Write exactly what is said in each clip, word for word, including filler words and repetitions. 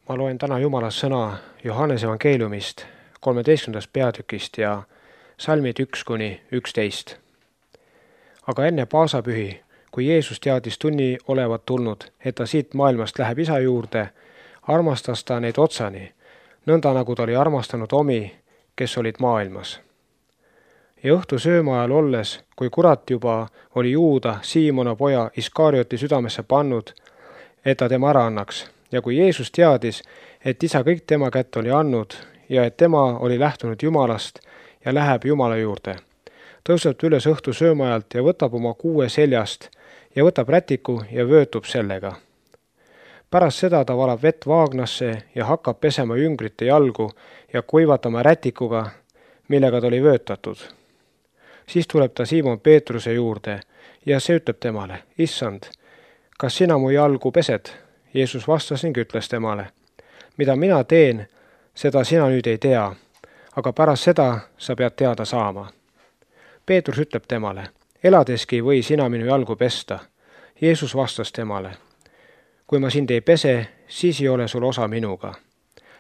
Ma loen täna Jumala sõna Johannese evangeeliumist kolmeteistkümnendast peatükist ja salmid üks kuni üksteist. Aga enne paasapühi, kui Jeesus teadis tunni olevat tulnud, et ta siit maailmast läheb isa juurde, armastas ta neid otsani, nõnda nagu ta oli armastanud omi, kes olid maailmas. Ja õhtu sööma ajal olles, kui kurat juba oli Juuda, Siimona poja Iskarioti südamesse pannud, et ta tema ära annaks, ja kui Jeesus teadis, et isa kõik tema kätte oli andnud ja et tema oli lähtunud Jumalast ja läheb Jumala juurde, tõuseb ta üles õhtu söömaajalt ja võtab oma kuue seljast ja võtab rätiku ja vöötub sellega. Pärast seda ta valab vett vaagnasse ja hakkab pesema jüngrite jalgu ja kuivatama rätikuga, millega ta oli vöötatud. Siis tuleb ta Siimon Peetruse juurde ja see ütleb temale, Issand, kas sina mu jalgu pesed? Jeesus vastas ning ütles temale, mida mina teen, seda sina nüüd ei tea, aga pärast seda sa pead teada saama. Peetrus ütleb temale, eladeski või sina minu jalgu pesta. Jeesus vastas temale, kui ma sind ei pese, siis ei ole sul osa minuga.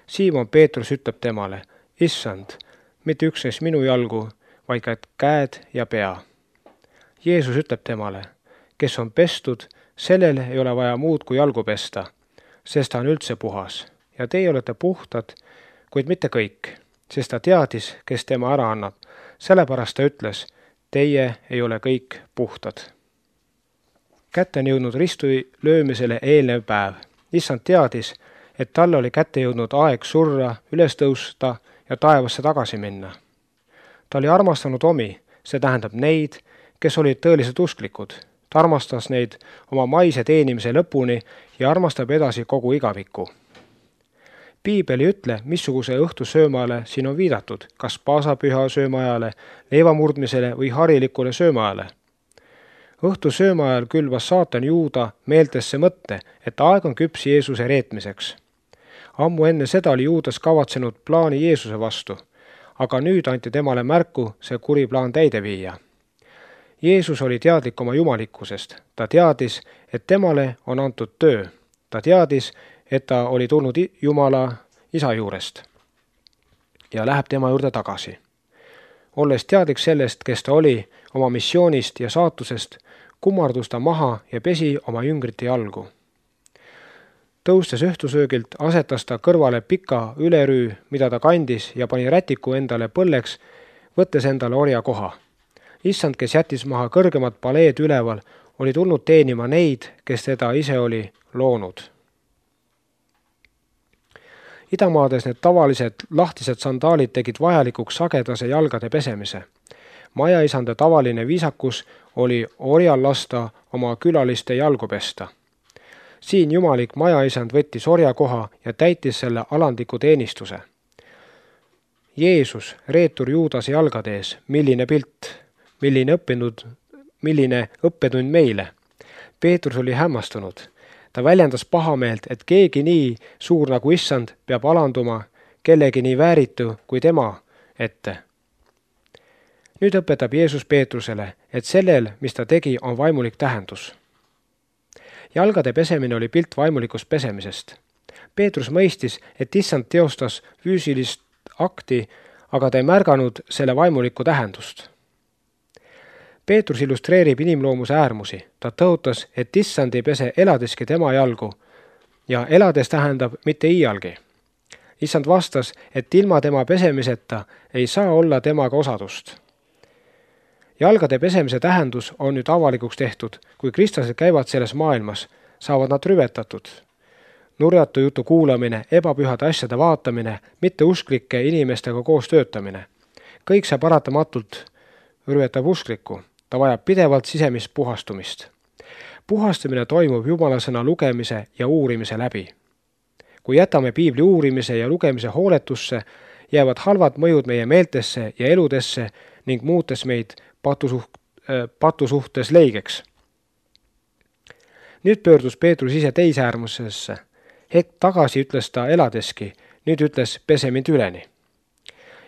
Siimon Peetrus ütleb temale, Issand, mitte üksnes minu jalgu, vaid ka käed ja pea. Jeesus ütleb temale, kes on pestud, sellel ei ole vaja muud kui jalgu pesta, sest ta on üldse puhas. Ja teie olete puhtad, kuid mitte kõik, sest ta teadis, kes tema ära annab. Sellepärast ta ütles, teie ei ole kõik puhtad. Kätte on jõudnud ristu löömisele eelnev päev. Issand teadis, et talle oli kätte jõudnud aeg surra, üles tõusta ja taevasse tagasi minna. Ta oli armastanud omi, see tähendab neid, kes olid tõeliselt usklikud. Ta armastas neid oma maise teenimise lõpuni ja armastab edasi kogu igaviku. Piibel ei ütle, missuguse õhtu söömaale siin on viidatud, kas paasapüha söömaajale, leivamurdmisele või harilikule söömaajale. Õhtu söömaajal külvas saatan Juuda meeltesse mõtte, et aeg on küps Jeesuse reetmiseks. Ammu enne seda oli Juudas kavatsenud plaani Jeesuse vastu, aga nüüd anti temale märku see kuri plaan täide viia. Jeesus oli teadlik oma jumalikkusest. Ta teadis, et temale on antud töö. Ta teadis, et ta oli tulnud Jumala isa juurest ja läheb tema juurde tagasi. Olles teadlik sellest, kes ta oli, oma missioonist ja saatusest, kummardus ta maha ja pesi oma jüngrite jalgu. Tõustes õhtusöögilt asetas ta kõrvale pika ülerüü, mida ta kandis ja pani rätiku endale põlleks, võttes endale orja koha. Issand, kes jättis maha kõrgemad paleed üleval, oli tulnud teenima neid, kes teda ise oli loonud. Idamaades need tavalised lahtised sandaalid tegid vajalikuks sagedase jalgade pesemise. Majaisande tavaline viisakus oli orjal lasta oma külaliste jalgu pesta. Siin jumalik majaisand võttis orja koha ja täitis selle alandliku teenistuse. Jeesus, reetur Juudase jalgade ees, milline pilt, milline õppinud, milline õppetund meile. Peetrus oli hämmastunud. Ta väljendas pahameelt, et keegi nii suur nagu Issand peab alanduma kellegi nii vääritu kui tema ette. Nüüd õpetab Jeesus Peetrusele, et sellel, mis ta tegi, on vaimulik tähendus. Jalgade pesemine oli pilt vaimulikust pesemisest. Peetrus mõistis, et Issand teostas füüsilist akti, aga ta ei märganud selle vaimulikku tähendust. Peetrus illustreerib inimloomuse äärmusi. Ta tõotas, et Issand ei pese eladeski tema jalgu ja elades tähendab mitte iialgi. Issand vastas, et ilma tema pesemiseta ei saa olla temaga osadust. Jalgade pesemise tähendus on nüüd avalikuks tehtud. Kui kristlased käivad selles maailmas, saavad nad rüvetatud. Nurjatu jutu kuulamine, ebapühade asjade vaatamine, mitte usklike inimestega koos töötamine. Kõik see paratamatult rüvetab usklikku. Ta vajab pidevalt sisemist puhastumist. Puhastumine toimub Jumala sõna lugemise ja uurimise läbi. Kui jätame piibli uurimise ja lugemise hooletusse, jäävad halvad mõjud meie meeltesse ja eludesse ning muutes meid patusuht, äh, patusuhtes leigeks. Nüüd pöördus Peetrus ise teise äärmusesse. Hetk tagasi ütles ta eladeski, nüüd ütles pese mind üleni.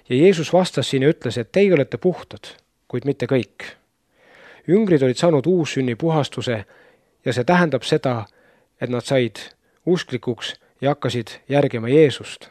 Ja Jeesus vastas siin ja ütles, et teie olete puhtad, kuid mitte kõik. Jüngrid olid saanud uussünni puhastuse ja see tähendab seda, et nad said usklikuks ja hakkasid järgima Jeesust.